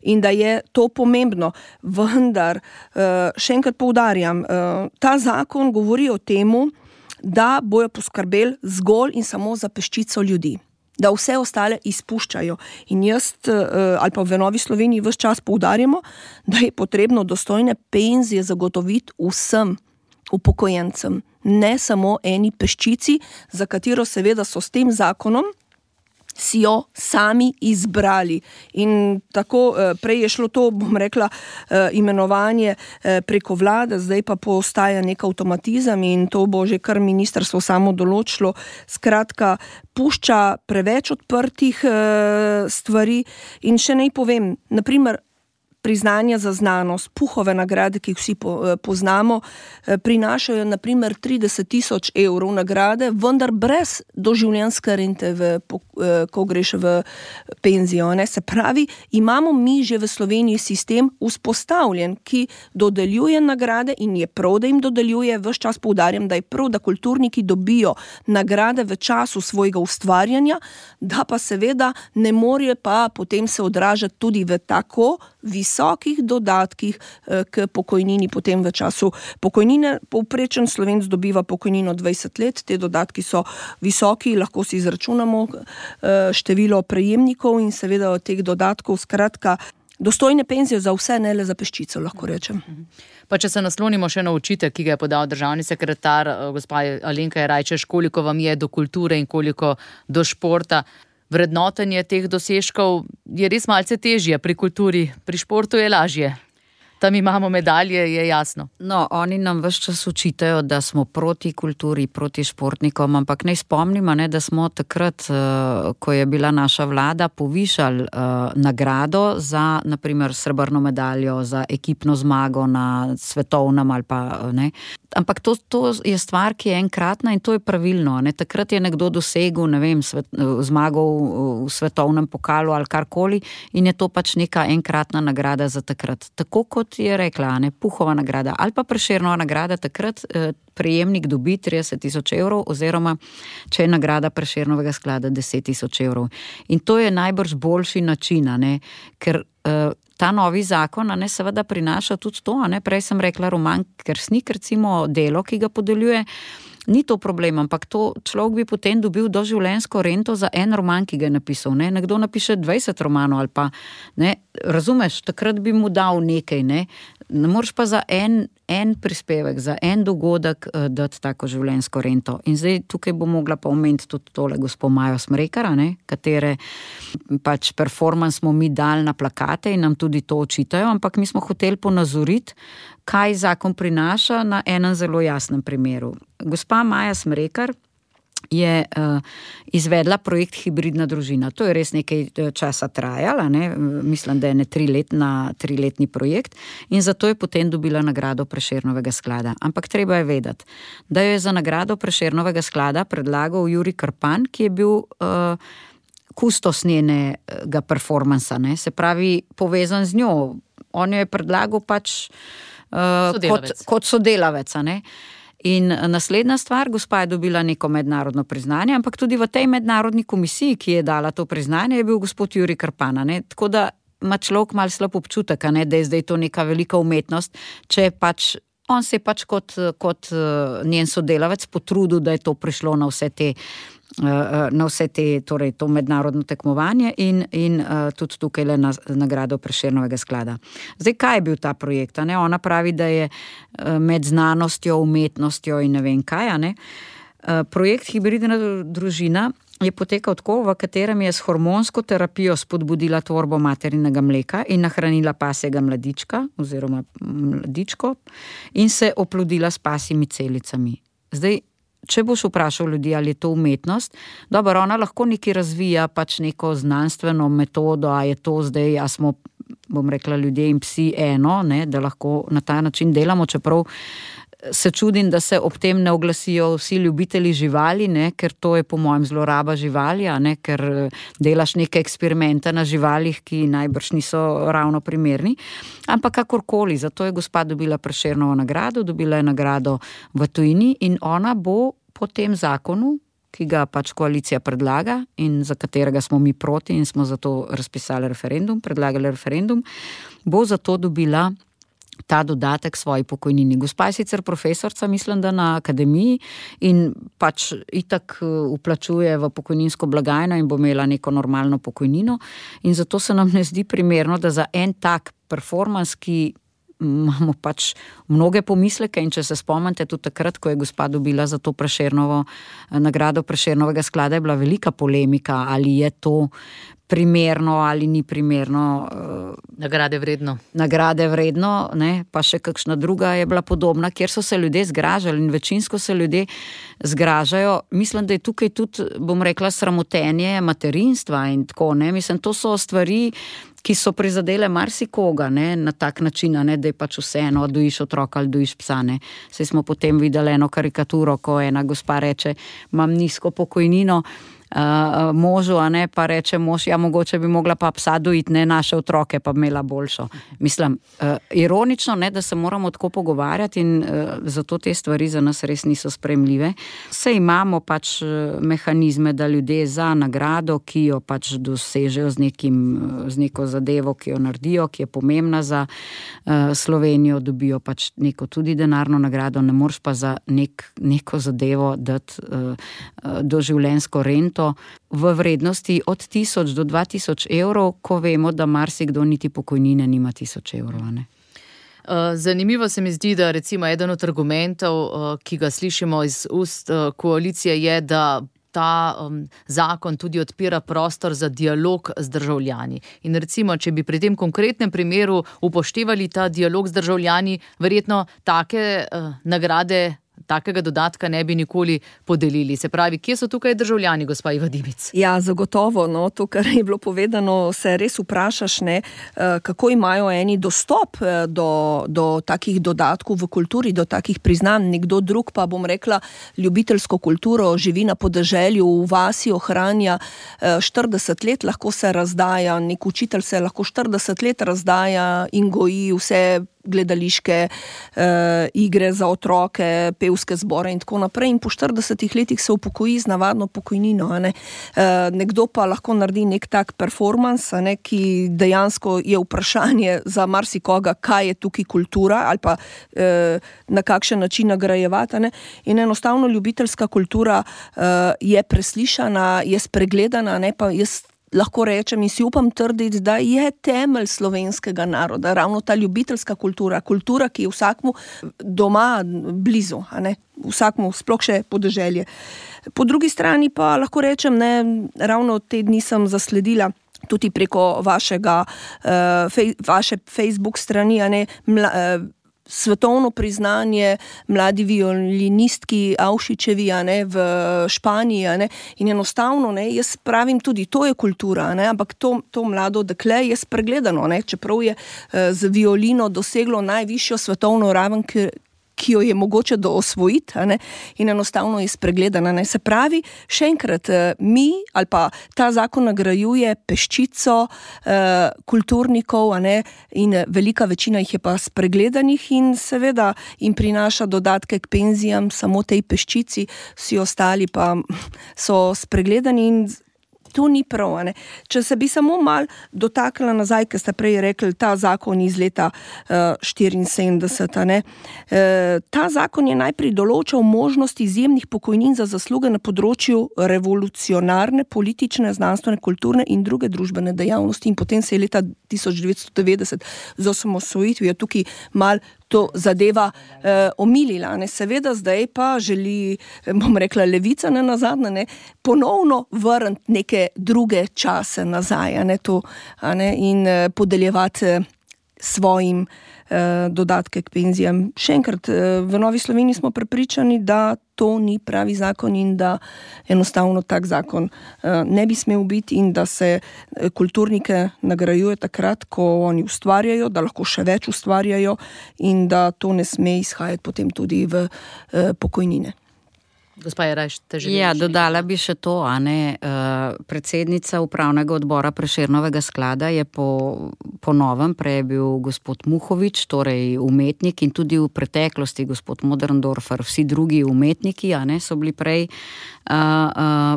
in da je to pomembno. Vendar, še enkrat poudarjam, ta zakon govori o temu, da bojo poskrbeli zgolj in samo za peščico ljudi, da vse ostale izpuščajo. In jaz ali pa v Novi Sloveniji ves čas poudarjamo, da je potrebno dostojne penzije zagotoviti vsem upokojencem, ne samo eni peščici, za katero seveda so s tem zakonom si jo sami izbrali. In tako prej je šlo to, bom rekla, imenovanje preko vlade, zdaj pa postaja nek avtomatizem in to bo že kar ministrstvo samo določilo. Skratka, pušča preveč odprtih stvari in še naj povem, naprimer, priznanja za znanost, Puhove nagrade, ki jih vsi poznamo, prinašajo naprimer 30 000 evrov nagrade, vendar brez doživljenjske rente, ko greš v penzijo. Ne? Se pravi, imamo mi že v Sloveniji sistem vzpostavljen, ki dodeljuje nagrade in je prav, da jim dodeljuje. Ves čas poudarjam, da je prav, da kulturniki dobijo nagrade v času svojega ustvarjanja, da pa seveda ne more pa potem se odražati tudi v tako visokih dodatkih k pokojnini potem v času pokojnine. Povprečen Slovenc dobiva pokojnino 20 let, te dodatki so visoki, lahko si izračunamo število prejemnikov in seveda od teh dodatkov, skratka, dostojne penzije za vse, ne le za peščico, lahko rečem. Pa če se naslonimo še na očitek, ki ga je podal državni sekretar, gospa Alenka Jerajčeš, koliko vam je do kulture in koliko do športa. Vrednotenje teh dosežkov je res malce težje pri kulturi, pri športu je lažje. Tam imamo medalje, je jasno. No, oni nam ves čas očitajo, da smo proti kulturi, proti športnikom, ampak naj spomnimo, da smo takrat, ko je bila naša vlada, povišali nagrado za, naprimer, srebrno medaljo, za ekipno zmago na svetovnem ali pa ne. Ampak to je stvar, ki je enkratna in to je pravilno. Ne? Takrat je nekdo dosegel, ne vem, zmagal v svetovnem pokalu ali karkoli in je to pač neka enkratna nagrada za takrat. Tako kot je rekla, ne, Puhova nagrada ali pa Prešernova nagrada, takrat prejemnik dobi 30 000 evrov oziroma če je nagrada Prešernovega sklada 10 000 evrov. In to je najbrž boljši način, ne, ker ta novi zakon, ne, seveda prinaša tudi to, ne, prej sem rekla roman Kersnik, recimo delo, ki ga podeljuje, ni to problem, ampak to človek bi potem dobil doživljenjsko rento za en roman, ki ga je napisal, ne, nekdo napiše 20 romanov ali pa, ne, razumeš, takrat bi mu dal nekaj, ne moreš pa za en prispevek, za en dogodek dati tako življenjsko rento. In zdaj tukaj bo mogla pa omeniti tudi tole gospo Majo Smrekar, ne, katere pač performans smo mi dali na plakate in nam tudi to očitajo, ampak mi smo hoteli ponazoriti, kaj zakon prinaša na enem zelo jasnem primeru. Gospa Maja Smrekar je izvedla projekt Hibridna družina. To je res nekaj časa trajala, ne? Mislim, da je triletni projekt in zato je potem dobila nagrado Prešernovega sklada. Ampak treba je vedeti, da jo je za nagrado Prešernovega sklada predlagal Jurij Krpan, ki je bil kustos njenega performansa, ne? Se pravi, povezan z njo. On jo je predlagal pač kot sodelavec, ne? In naslednja stvar, gospa je dobila neko mednarodno priznanje, ampak tudi v tej mednarodni komisiji, ki je dala to priznanje, je bil gospod Jurij Krpan, ne? Tako da ima človek malo slab občutek, ne? Da je zdaj to neka velika umetnost, če pač on se je pač kot njen sodelavec potrudil, da je to prišlo na vse te, torej to mednarodno tekmovanje in tudi tukaj le na nagrado Prešernovega sklada. Zdaj, kaj je bil ta projekt? Ne? Ona pravi, da je med znanostjo, umetnostjo in ne vem kaj, ne? Projekt Hibridna družina je potekal tako, v katerem je s hormonsko terapijo spodbudila tvorbo materinega mleka in nahranila pasjega mladička oziroma mladičko in se oplodila s pasjimi celicami. Zdaj, če boš vprašal ljudi, ali je to umetnost, dobro, ona lahko nekaj razvija, pač neko znanstveno metodo, a je to zdaj, a smo, bom rekla, ljudje in psi eno, ne, da lahko na ta način delamo, čeprav se čudim, da se ob tem ne oglasijo vsi ljubitelji živali, ne, ker to je po mojem zloraba živali, ne, ker delaš neke eksperimente na živalih, ki najbrž niso ravno primerni. Ampak kakorkoli, zato je gospa dobila Prešernovo nagrado, dobila je nagrado v tujini in ona bo po tem zakonu, ki ga pač koalicija predlaga in za katerega smo mi proti in smo zato razpisali referendum, predlagali referendum, bo zato dobila ta dodatek svoji pokojnini. Gospa je sicer profesorca, mislim, da na akademiji in pač itak vplačuje v pokojninsko blagajno in bo imela neko normalno pokojnino in zato se nam ne zdi primerno, da za en tak performans, ki imamo pač mnoge pomisleke in če se spomnite tudi takrat, ko je gospa dobila za to Prešernovo nagrado Prešernovega sklada, je bila velika polemika, ali je to primerno ali ni primerno. Nagrade vredno. Nagrade vredno, ne, pa še kakšna druga je bila podobna, kjer so se ljudje zgražali in večinsko se ljudje zgražajo. Mislim, da je tukaj tudi, bom rekla, sramotenje materinstva in tako, ne, mislim, to so stvari, ki so prizadele marsikoga, ne, na tak način, ne, da je pač vseeno, dojiš otroka ali dojiš psa, ne. Saj smo potem videli eno karikaturo, ko ena gospa reče, imam nizko pokojnino, možu, a ne, pa reče mož, ja, mogoče bi mogla pa psa dojiti, ne, naše otroke pa imela boljšo. Mislim, ironično, ne, da se moramo tako pogovarjati in zato te stvari za nas res niso sprejemljive. Saj imamo pač mehanizme, da ljudje za nagrado, ki jo pač dosežejo z neko zadevo, ki jo naredijo, ki je pomembna za Slovenijo, dobijo pač neko tudi denarno nagrado, ne moreš pa za neko zadevo dati doživljenjsko rento v vrednosti od 1000 do 2000 evrov, ko vemo, da marsikdo niti pokojnine nima 1000 evrov, ne? Zanimivo se mi zdi, da recimo eden od argumentov, ki ga slišimo iz ust koalicije, je, da ta zakon tudi odpira prostor za dialog z državljani. In recimo, če bi pri tem konkretnem primeru upoštevali ta dialog z državljani, verjetno take nagrade, takega dodatka ne bi nikoli podelili. Se pravi, kje so tukaj državljani, gospa Iva Dimic? Ja, zagotovo, no, to, kar je bilo povedano, se res vprašaš, ne, kako imajo eni dostop do takih dodatkov v kulturi, do takih priznanj, nekdo drug pa, bom rekla, ljubiteljsko kulturo, živi na podeželju, v vasi ohranja 40 let, lahko se razdaja, nek učitelj se lahko 40 let razdaja in goji vse gledališke igre za otroke, pevske zbore in tako naprej in po 40 letih se upokoji z navadno pokojnino, ne. Nekdo pa lahko naredi nek tak performans, ne, ki dejansko je vprašanje za marsikoga, kaj je tukaj kultura ali pa na kakšen način nagrajevati, ne. In enostavno ljubiteljska kultura je preslišana, je spregledana, ne, pa jaz lahko rečem in si upam trditi, da je temelj slovenskega naroda, ravno ta ljubiteljska kultura, ki je vsakmu doma blizu, a ne, vsakmu, sploh še podeželje. Po drugi strani pa lahko rečem, ne, ravno te dni sem zasledila tudi preko vaše Facebook strani, a ne, svetovno priznanje mladi violinistki Avšičevi, ne, v Španiji, ne, in enostavno, ne, jaz pravim tudi, to je kultura, ne, ampak to mlado dekle je spregledano, ne, čeprav je z violino doseglo najvišjo svetovno raven, ki jo je mogoče osvojiti, ne, in enostavno je spregledana, ne. Se pravi, še enkrat, mi ali pa ta zakon nagrajuje peščico kulturnikov, a ne, in velika večina jih je pa spregledanih in seveda jim prinaša dodatke k penzijam samo tej peščici, vsi ostali pa so spregledani in to ni prav, ne. Če se bi samo mal dotaknila nazaj, ker ste prej rekli, ta zakon iz leta 74, ne. Ta zakon je najprej določal možnost izjemnih pokojnin za zasluge na področju revolucionarne, politične, znanstvene, kulturne in druge družbene dejavnosti in potem se je leta 1990 z osamosvojitvijo tukaj mal to zadeva omilila. Ne. Seveda zdaj pa želi, bom rekla, levica nenazadnje, ponovno vrniti neke druge čase nazaj, in podeljevati svojim dodatke k penzijam. Še enkrat, v Novi Sloveniji smo prepričani, da to ni pravi zakon in da enostavno tak zakon ne bi smel biti in da se kulturnike nagrajuje takrat, ko oni ustvarjajo, da lahko še več ustvarjajo in da to ne sme izhajati potem tudi v pokojnine. Gospa Jeraj, ste želeli? Ja, dodala bi še to, predsednica upravnega odbora Prešernovega sklada je po novem, prej je bil gospod Muhovič, torej umetnik, in tudi v preteklosti gospod Moderndorfer, vsi drugi umetniki, so bili prej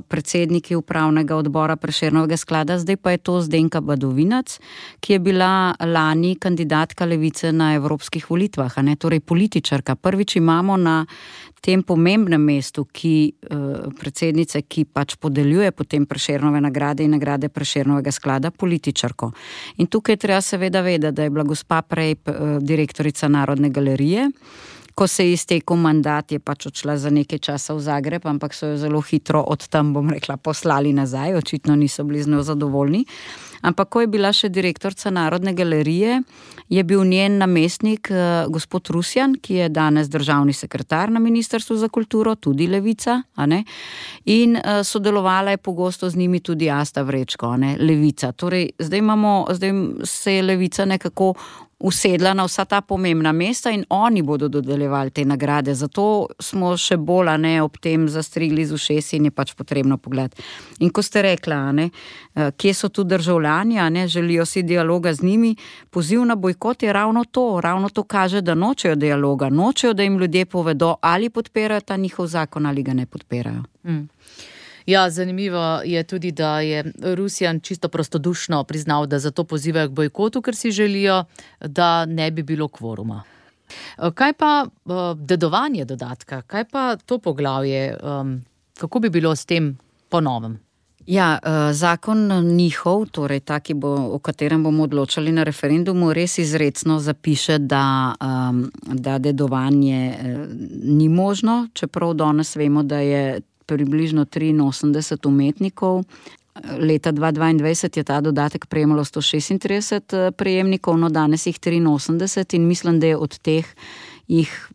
predsedniki upravnega odbora Prešernovega sklada, zdaj pa je to Zdenka Badovinac, ki je bila lani kandidatka Levice na evropskih volitvah, torej političarka. Prvič imamo na tem pomembnem mestu, predsednice, ki pač podeljuje potem Prešernove nagrade in nagrade Prešernovega sklada, političarko. In tukaj treba seveda vedeti, da je bila gospa prej direktorica Narodne galerije. Ko se je iztekel mandat, je pač odšla za nekaj časa v Zagreb, ampak so jo zelo hitro od tam, bom rekla, poslali nazaj, očitno niso bili z njo zadovoljni. Ampak ko je bila še direktorica Narodne galerije, je bil njen namestnik gospod Rusjan, ki je danes državni sekretar na Ministrstvu za kulturo, tudi Levica, in sodelovala je pogosto z njimi tudi Asta Vrečko, Levica. Torej, zdaj se je Levica nekako usedla na vsa ta pomembna mesta in oni bodo dodeljevali te nagrade. Zato smo še bolj ob tem zastrigli z ušesi in je pač potrebno pogledati. In ko ste rekla, kje so tu državljani, želijo si dialoga z njimi, poziv na bojkot je ravno to kaže, da nočejo dialoga, nočejo, da jim ljudje povedo, ali podpirajo ta njihov zakon ali ga ne podpirajo. Ja, zanimivo je tudi, da je Rusjan čisto prostodušno priznal, da zato pozivajo k bojkotu, ker si želijo, da ne bi bilo kvoruma. Kaj pa dedovanje dodatka? Kaj pa to poglavje? Kako bi bilo s tem po novem? Ja, zakon njihov, torej ta, o katerem bomo odločali na referendumu, res izrecno zapiše, da dedovanje ni možno, čeprav danes vemo, da je približno 83 umetnikov. Leta 2022 je ta dodatek prejemalo 136 prejemnikov, no danes jih 83 in mislim, da je od teh jih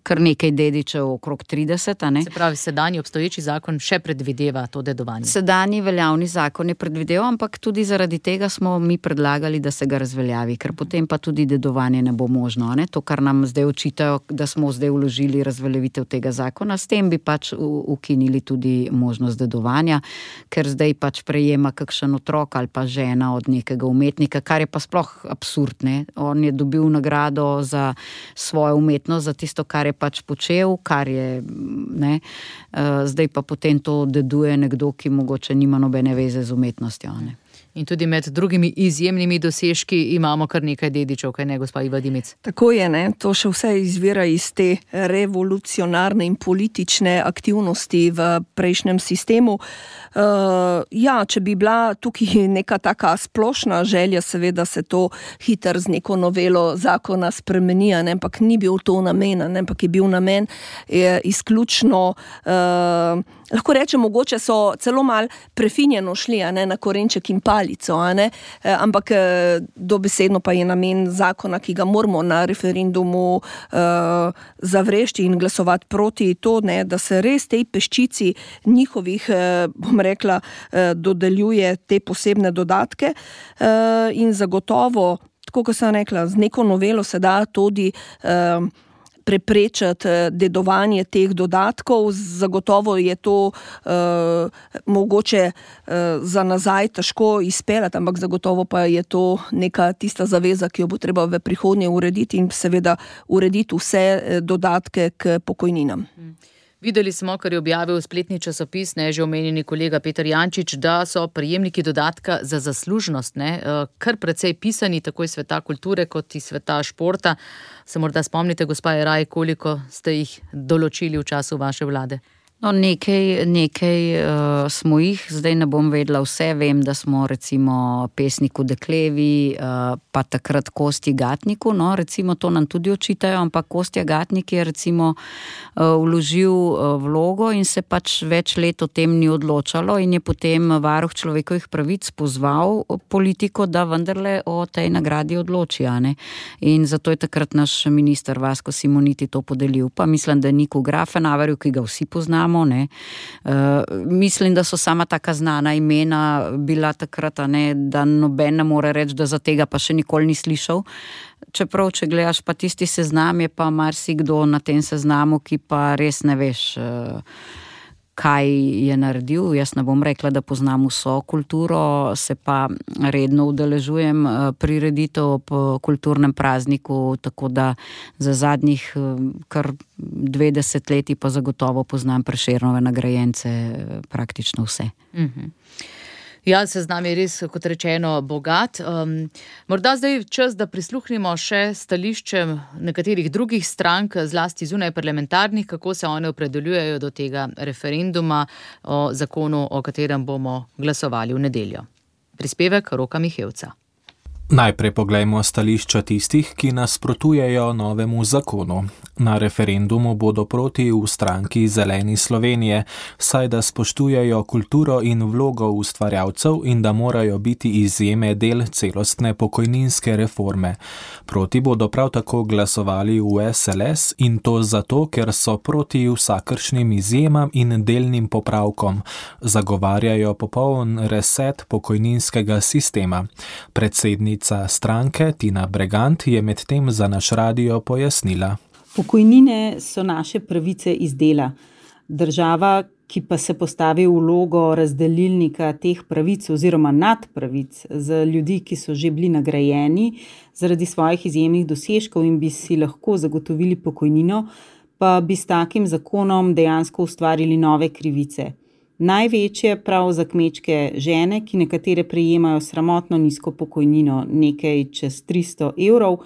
kar nekaj dedičev, okrog 30. Se pravi, sedanji obstoječi zakon še predvideva to dedovanje? Sedanji veljavni zakon je predvideval, ampak tudi zaradi tega smo mi predlagali, da se ga razveljavi, ker potem pa tudi dedovanje ne bo možno. To, kar nam zdaj očitajo, da smo zdaj vložili razveljavitev tega zakona, s tem bi pač ukinili tudi možnost dedovanja, ker zdaj pač prejema kakšen otrok ali pa žena od nekega umetnika, kar je pa sploh absurd. On je dobil nagrado za svojo umetnost, za tisto, kar je pač počel, kar je, zdaj pa potem to deduje nekdo, ki mogoče nima nobene veze z umetnostjo. In tudi med drugimi izjemnimi dosežki imamo kar nekaj dedičev, kaj ne, gospa Iva Dimic? Tako je, to še vse izvira iz te revolucionarne in politične aktivnosti v prejšnjem sistemu. Če bi bila tukaj neka taka splošna želja, seveda se to hitro z neko novelo zakona spremeni, ampak ni bil to namen, ampak je bil namen izključno, lahko rečem, mogoče so celo malo prefinjeno šli na korenček in palico, ampak dobesedno pa je namen zakona, ki ga moramo na referendumu zavrešti in glasovati proti to, da se res tej peščici njihovih, bom rekla, dodeljuje te posebne dodatke in zagotovo, tako kot sem rekla, z neko novelo se da tudi preprečiti dedovanje teh dodatkov. Zagotovo je to mogoče za nazaj težko izpeljati, ampak zagotovo pa je to neka tista zaveza, ki jo bo treba v prihodnje urediti in seveda urediti vse dodatke k pokojninam. Videli smo, kar je objavil spletni časopis, že omenjeni kolega Peter Jančič, da so prejemniki dodatka za zaslužnost, kar precej pisani, tako iz sveta kulture kot iz sveta športa. Se morda spomnite, gospa Jeraj, koliko ste jih določili v času vaše vlade? No, nekaj smo jih, zdaj ne bom vedela vse, vem, da smo recimo pesniku Deklevi, pa takrat Kostji Gatniku, no, recimo to nam tudi očitajo, ampak Kostja Gatnik je recimo vložil vlogo in se pač več let o tem ni odločalo in je potem varuh človekovih pravic pozval politiko, da vendarle o tej nagradi odloči, ne. In zato je takrat naš minister Vasko Simoniti to podelil, pa mislim, da Niku Grafenaverju, ki ga vsi poznamo, ne. Mislim, da so sama taka znana imena bila takrat, ne, da noben ne more reči, da za tega pa še nikoli ni slišal. Čeprav, če gledaš pa tisti seznam, je pa marsikdo na tem seznamu, ki pa res ne veš, kaj je naredil. Jaz ne bom rekla, da poznam vso kulturo, se pa redno udeležujem prireditev ob kulturnem prazniku, tako da za zadnjih kar 20 leti pa zagotovo poznam Prešernove nagrajence praktično vse. Ja, seznam je res, kot rečeno, bogat. Morda zdaj čas, da prisluhnimo še stališčem nekaterih drugih strank, zlasti zunaj parlamentarnih, kako se one opredeljujejo do tega referenduma o zakonu, o katerem bomo glasovali v nedeljo. Prispevek Roka Mihevca. Najprej poglejmo stališča tistih, ki nasprotujejo novemu zakonu. Na referendumu bodo proti v stranki Zeleni Slovenije, saj da spoštujejo kulturo in vlogo ustvarjalcev in da morajo biti izjeme del celostne pokojninske reforme. Proti bodo prav tako glasovali v SLS in to zato, ker so proti vsakršnim izjemam in delnim popravkom. Zagovarjajo popoln reset pokojninskega sistema. Predsednica stranke Tina Bregant je medtem za naš radio pojasnila. Pokojnine so naše pravice iz dela. Država, ki pa se postavi v vlogo razdelilnika teh pravic oziroma nadpravic za ljudi, ki so že bili nagrajeni zaradi svojih izjemnih dosežkov in bi si lahko zagotovili pokojnino, pa bi s takim zakonom dejansko ustvarili nove krivice. Največje prav za kmečke žene, ki nekatere prejemajo sramotno nizko pokojnino, nekaj čez 300 evrov,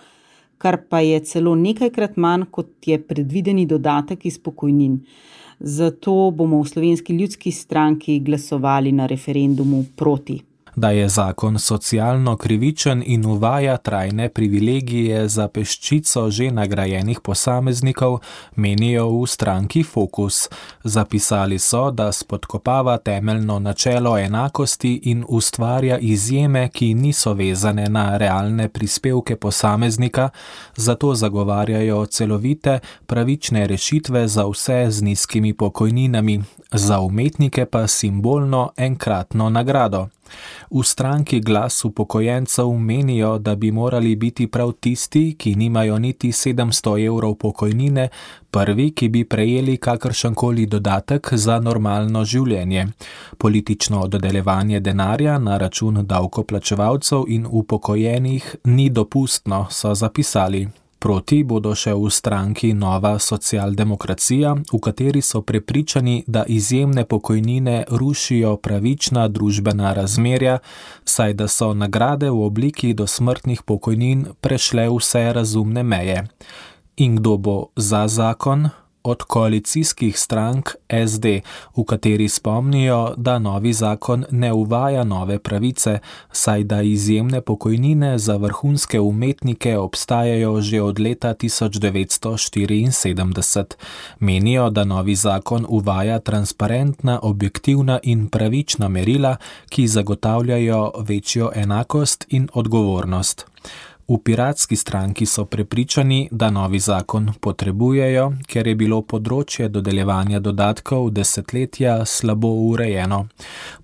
kar pa je celo nekajkrat manj, kot je predvideni dodatek iz pokojnin. Zato bomo v Slovenski ljudski stranki glasovali na referendumu proti. Da je zakon socialno krivičen in uvaja trajne privilegije za peščico že nagrajenih posameznikov, menijo v stranki Fokus. Zapisali so, da spodkopava temeljno načelo enakosti in ustvarja izjeme, ki niso vezane na realne prispevke posameznika, zato zagovarjajo celovite, pravične rešitve za vse z nizkimi pokojninami, za umetnike pa simbolno enkratno nagrado. V stranki Glas upokojencev menijo, da bi morali biti prav tisti, ki nimajo niti 700 evrov pokojnine, prvi, ki bi prejeli kakršenkoli dodatek za normalno življenje. Politično dodeljevanje denarja na račun davkoplačevalcev in upokojenih ni dopustno, so zapisali. Proti bodo še v stranki Nova socialdemokracija, v kateri so prepričani, da izjemne pokojnine rušijo pravična družbena razmerja, saj da so nagrade v obliki dosmrtnih pokojnin prešle vse razumne meje. In kdo bo za zakon? Od koalicijskih strank SD, v kateri spomnijo, da novi zakon ne uvaja nove pravice, saj da izjemne pokojnine za vrhunske umetnike obstajajo že od leta 1974. Menijo, da novi zakon uvaja transparentna, objektivna in pravična merila, ki zagotavljajo večjo enakost in odgovornost. V Piratski stranki so prepričani, da novi zakon potrebujejo, ker je bilo področje dodeljevanja dodatkov desetletja slabo urejeno.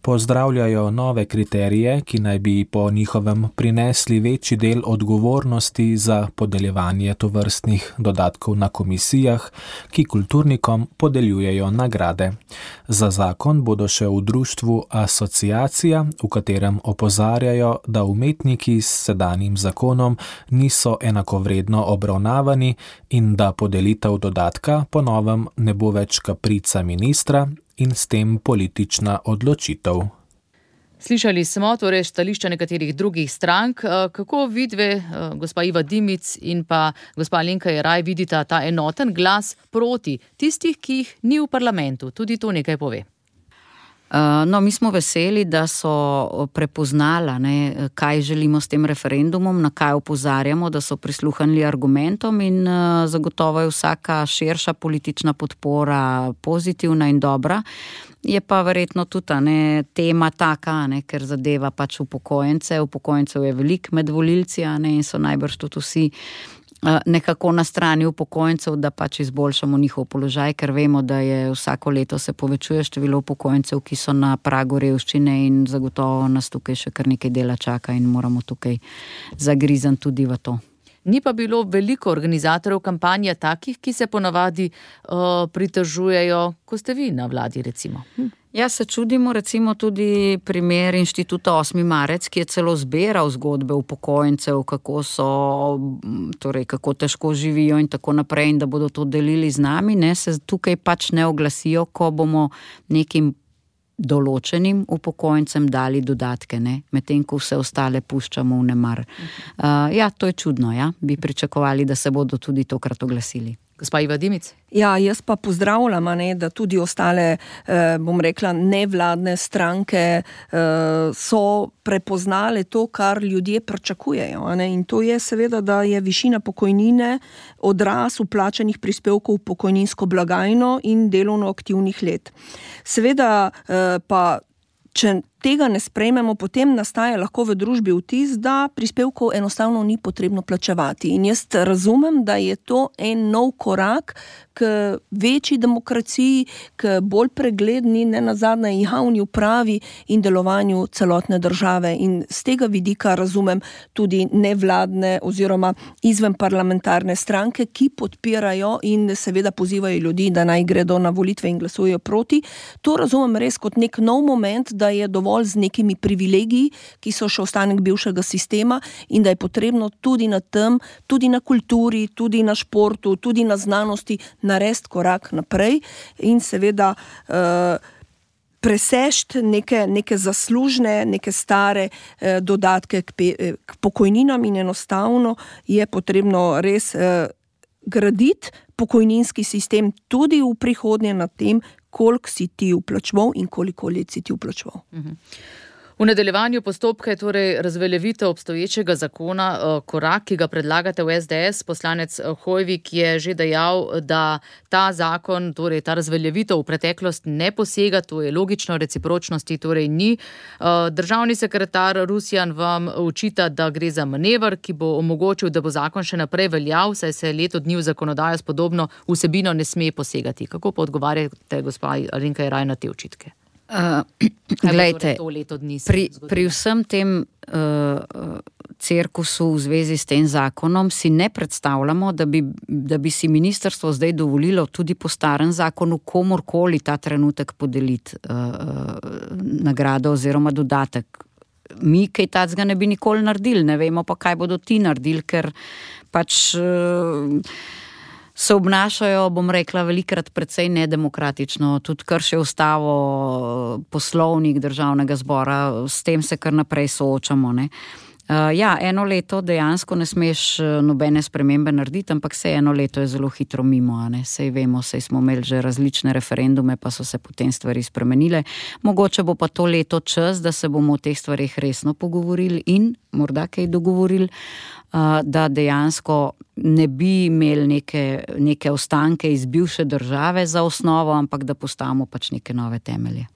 Pozdravljajo nove kriterije, ki naj bi po njihovem prinesli večji del odgovornosti za podeljevanje tovrstnih dodatkov na komisijah, ki kulturnikom podeljujejo nagrade. Za zakon bodo še v društvu Asociacija, v katerem opozarjajo, da umetniki s sedanjim zakonom niso enakovredno obravnavani in da podelitev dodatka po novem ne bo več kaprica ministra in s tem politična odločitev. Slišali smo torej stališča nekaterih drugih strank. Kako vidve, gospa Iva Dimic in pa gospa Alenka Jeraj, vidita ta enoten glas proti tistih, ki jih ni v parlamentu? Tudi to nekaj pove. No, mi smo veseli, da so prepoznala, kaj želimo s tem referendumom, na kaj opozarjamo, da so prisluhnili argumentom in zagotovo je vsaka širša politična podpora pozitivna in dobra. Je pa verjetno tudi tema taka, ker zadeva pač upokojencev je veliko med volilci in so najbrž tudi vsi nekako na strani upokojencev, da pač izboljšamo njihov položaj, ker vemo, da je vsako leto se povečuje število upokojencev, ki so na pragu revščine in zagotovo nas tukaj še kar nekaj dela čaka in moramo tukaj zagrizan tudi v to. Ni pa bilo veliko organizatorjev kampanje takih, ki se ponavadi pritožujejo, ko ste vi na vladi, recimo. Ja, se čudimo recimo tudi primer Inštituta 8. marec, ki je celo zbiral zgodbe upokojencev, kako težko živijo in tako naprej in da bodo to delili z nami, se tukaj pač ne oglasijo, ko bomo nekim določenim upokojencem dali dodatke, medtem ko vse ostale puščamo v nemar. To je čudno, bi pričakovali, da se bodo tudi tokrat oglasili. Gospa Iva Dimic? Ja, jaz pa pozdravljam, da tudi ostale, bom rekla, nevladne stranke so prepoznale to, kar ljudje pričakujejo. In to je seveda, da je višina pokojnine odraz vplačanih prispevkov v pokojninsko blagajno in delovno aktivnih let. Seveda pa, če tega ne sprejmemo, potem nastaja lahko v družbi vtis, da prispevkov enostavno ni potrebno plačevati. In jaz razumem, da je to en nov korak k večji demokraciji, k bolj pregledni, nenazadnje javni upravi in delovanju celotne države. In z tega vidika razumem tudi nevladne oziroma izven parlamentarne stranke, ki podpirajo in seveda pozivajo ljudi, da naj gredo na volitve in glasujejo proti. To razumem res kot nek nov moment, da je dovolj z nekimi privilegiji, ki so še ostanek bivšega sistema in da je potrebno tudi na tem, tudi na kulturi, tudi na športu, tudi na znanosti narediti korak naprej in seveda presežiti neke zaslužne, neke stare dodatke k pokojninam in enostavno je potrebno res graditi pokojninski sistem tudi v prihodnje na tem, koliko si ti vplačeval in koliko let si ti vplačeval. V nadaljevanju postopka je torej razveljavitev obstoječega zakona korak, ki ga predlagate v SDS. Poslanec Hoivik je že dejal, da ta zakon, torej ta razveljavitev v preteklost ne posega, to je logično, recipročnosti torej ni. Državni sekretar Rusjan vam očita, da gre za manever, ki bo omogočil, da bo zakon še naprej veljal, saj se leto dni v zakonodajo s podobno vsebino ne sme posegati. Kako pa odgovarjate, gospa Alenka Jeraj, na te očitke? Glejte, pri vsem tem cirkusu v zvezi s tem zakonom si ne predstavljamo, da bi si ministrstvo zdaj dovolilo tudi po starem zakonu komorkoli ta trenutek podeliti nagrado oziroma dodatek. Mi kaj tacga ne bi nikoli naredili, ne vemo pa, kaj bodo ti naredili, ker pač se obnašajo, bom rekla, velikrat precej nedemokratično, tudi kršijo ustavo, poslovnik državnega zbora, s tem se kar naprej soočamo, eno leto dejansko ne smeš nobene spremembe narediti, ampak se eno leto je zelo hitro mimo, sej vemo, sej smo imeli že različne referendume, pa so se potem stvari spremenile. Mogoče bo pa to leto čas, da se bomo o teh stvarih resno pogovorili in morda kaj dogovorili, da dejansko ne bi imeli neke ostanke iz bivše države za osnovo, ampak da postavimo pač neke nove temelje.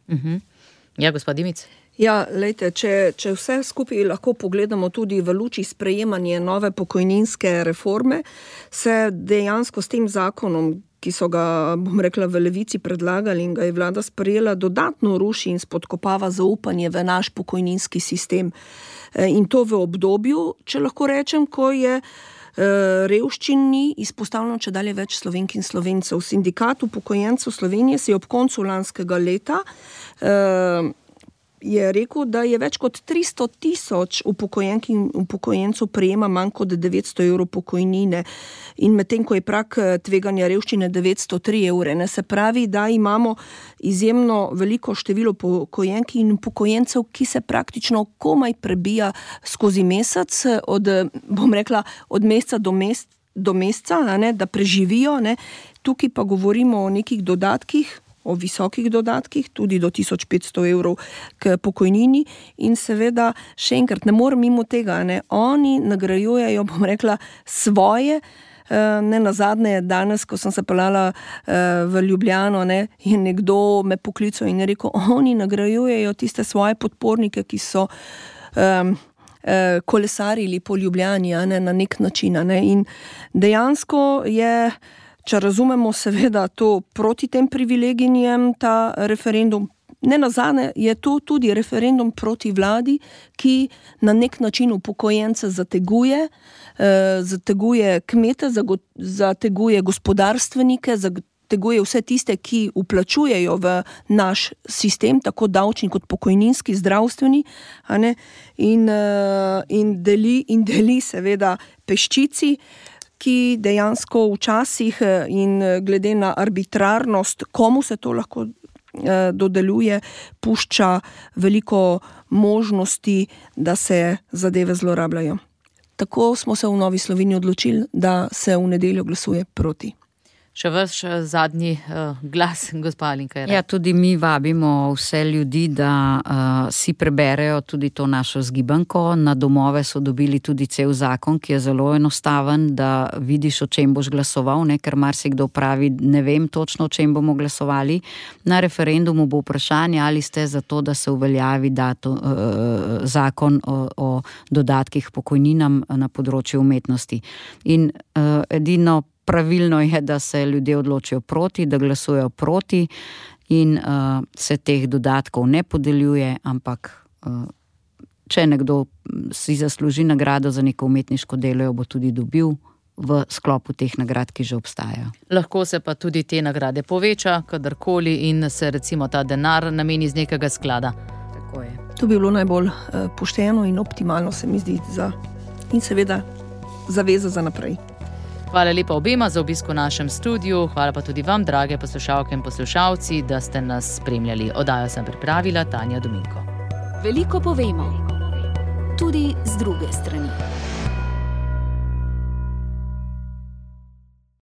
Ja, gospod Dimic? Ja, lejte, če vse skupaj lahko pogledamo tudi v luči sprejemanja nove pokojninske reforme, se dejansko s tem zakonom, ki so ga, bom rekla, v Levici predlagali in ga je vlada sprejela, dodatno ruši in spodkopava zaupanje v naš pokojninski sistem. In to v obdobju, če lahko rečem, ko je revščini izpostavljeno čedalje več Slovenk in Slovencev. Sindikat upokojencev Slovenije si ob koncu lanskega leta je rekel, da je več kot 300,000 upokojenk in upokojencev prejema manj kot 900 evrov pokojnine in medtem, ko je prak tveganja revščine 903 evre. Ne, se pravi, da imamo izjemno veliko število upokojenk in upokojencev, ki se praktično komaj prebija skozi mesec, od meseca do meseca, ne, da preživijo. Ne. Tukaj pa govorimo o nekih dodatkih, o visokih dodatkih, tudi do 1500 evrov k pokojnini in seveda, še enkrat, ne morem mimo tega, ne, oni nagrajujejo, svoje, ne nazadnje danes, ko sem se peljala v Ljubljano, ne, je nekdo me poklical in je rekel, oni nagrajujejo tiste svoje podpornike, ki so kolesarili po Ljubljani, ne, na nek način, ne, in dejansko je, če razumemo seveda to proti tem privilegijem, ta referendum, ne nazadnje je to tudi referendum proti vladi, ki na nek način upokojence zateguje, zateguje kmete, zateguje gospodarstvenike, zateguje vse tiste, ki vplačujejo v naš sistem, tako davčni kot pokojninski, zdravstveni, a ne, in deli seveda peščici, ki dejansko včasih in glede na arbitrarnost, komu se to lahko dodeljuje, pušča veliko možnosti, da se zadeve zlorabljajo. Tako smo se v Novi Sloveniji odločili, da se v nedeljo glasuje proti. Še vaš zadnji glas, gospa Alenka Jeraj. Ja, tudi mi vabimo vse ljudi, da si preberejo tudi to našo zgibanko. Na domove so dobili tudi cel zakon, ki je zelo enostaven, da vidiš, o čem boš glasoval, ne, ker marsikdo pravi, ne vem točno, o čem bomo glasovali. Na referendumu bo vprašanje, ali ste za to, da se uveljavi zakon o dodatkih pokojninam na področju umetnosti. In edino pravilno je, da se ljudje odločijo proti, da glasujejo proti in se teh dodatkov ne podeljuje, ampak če nekdo si zasluži nagrado za neko umetniško delo, jo bo tudi dobil v sklopu teh nagrad, ki že obstajajo. Lahko se pa tudi te nagrade poveča, kadarkoli in se recimo ta denar nameni iz nekega sklada. Tako je. To bi bilo najbolj pošteno in optimalno, se mi zdi, in seveda zaveza za naprej. Hvala lepa obema za obisk v našem studiu, hvala pa tudi vam, drage poslušalke in poslušalci, da ste nas spremljali. Oddajo sem pripravila Tanja Dominko. Veliko povemo, tudi z druge strani.